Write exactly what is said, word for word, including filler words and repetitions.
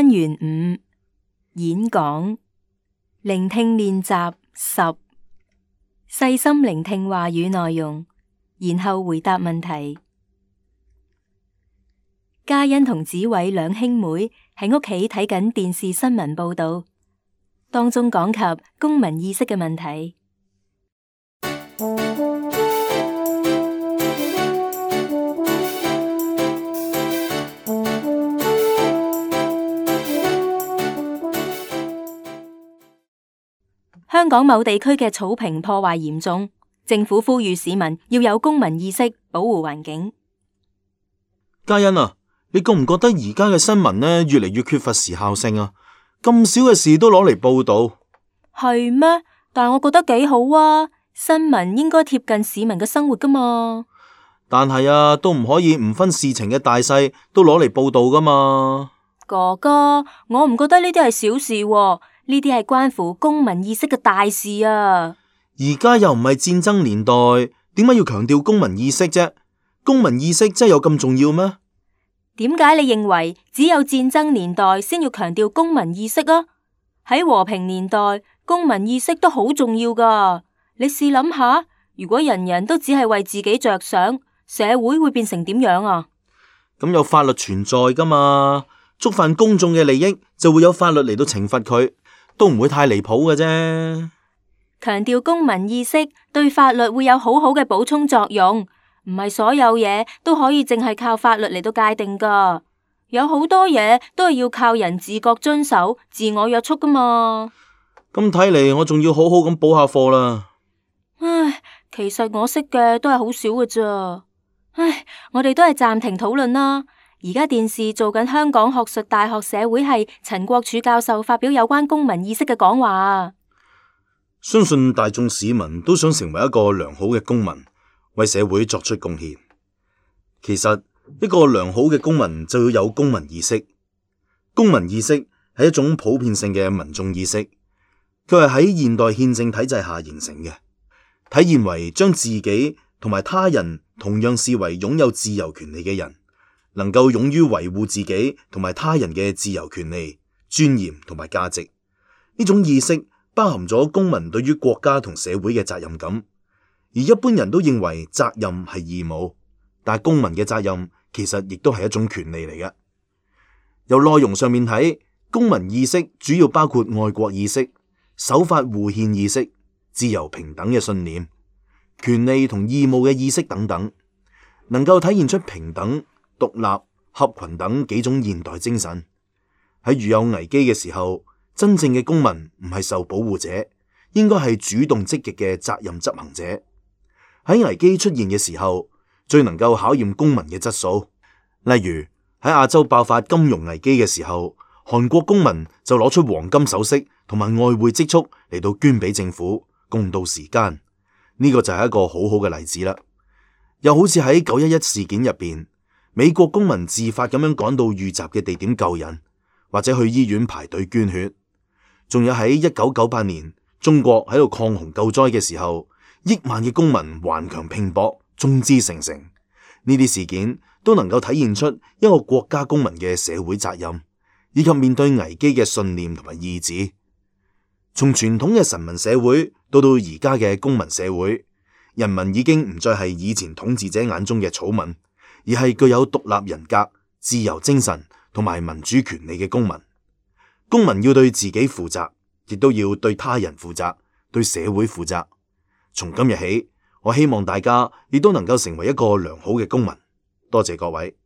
單元五演講聆聽練習十，細心聆聽話語內容，然後回答問題。嘉欣同子偉兩兄妹喺屋企睇緊電視新聞報道，當中講及公民意識嘅問題。香港某地區嘅草坪破壞嚴重，政府呼籲市民要有公民意識，保護環境。嘉欣啊，你覺唔覺得而家嘅新聞呢越嚟越缺乏時效性啊？咁少嘅事都攞嚟報道，係咩？但我覺得幾好啊！新聞應該貼近市民嘅生活噶嘛。但係啊，都唔可以唔分事情嘅大細都攞嚟報道噶嘛。哥哥，我唔覺得呢啲係小事喎。呢啲係關乎公民意識嘅大事啊！而家又唔係戰爭年代，點解要強調公民意識啫？公民意識真係有咁重要咩？點解你認為只有戰爭年代先要強調公民意識啊？喺和平年代，公民意識都好重要噶。你試諗下，如果人人都只係為自己着想，社會會變成點樣啊？咁有法律存在噶嘛？觸犯公眾嘅利益，就會有法律嚟到懲罰佢。都唔會太離譜嘅啫。強調公民意識對法律會有好好嘅補充作用，唔係所有嘢都可以淨係靠法律嚟到界定噶。有好多嘢都係要靠人自覺遵守、自我約束噶嘛。咁睇嚟，我仲要好好咁補下課啦。唉，其實我識嘅都係好少嘅咋。唉，我哋都係暫停討論啦。而家電視做緊香港學術大學社會系陳國柱教授發表有關公民意識嘅講話。相信大眾市民都想成為一個良好嘅公民，為社會作出貢獻。其實一個良好嘅公民就要有公民意識。公民意識係一種普遍性嘅民眾意識，佢係喺現代憲政體制下形成嘅，體現為將自己同埋他人同樣視為擁有自由權利嘅人。能夠勇於維護自己同埋他人嘅自由權利、尊嚴同埋價值，呢種意識包含咗公民對於國家同社會嘅責任感。而一般人都認為責任係義務，但係公民嘅責任其實亦都係一種權利嚟嘅。由內容上面睇，公民意識主要包括愛國意識、守法護憲意識、自由平等嘅信念、權利同義務嘅意識等等，能夠體現出平等、獨立、合群等幾種現代精神。喺遇有危機嘅時候，真正嘅公民唔係受保護者，應該係主動積極嘅責任執行者。喺危機出現嘅時候，最能夠考驗公民嘅質素。例如喺亞洲爆發金融危機嘅時候，韓國公民就攞出黃金首飾同埋外匯積蓄嚟到捐俾政府，共度時艱。呢個就係一個好好嘅例子啦。又好似喺九一一事件入邊，美國公民自發咁樣趕到遇襲嘅地點救人，或者去醫院排隊捐血。仲有喺一九九八年，中國喺度抗洪救災嘅時候，億萬嘅公民頑強拼搏，眾志成城。呢啲事件都能夠體現出一個國家公民嘅社會責任，以及面對危機嘅信念同埋意志。從傳統嘅臣民社會到到而家嘅公民社會，人民已經唔再係以前統治者眼中嘅草民，而係具有獨立人格、自由精神同埋民主權利嘅公民。公民要對自己負責，亦都要對他人負責，對社會負責。從今日起，我希望大家亦都能夠成為一個良好嘅公民。多謝各位。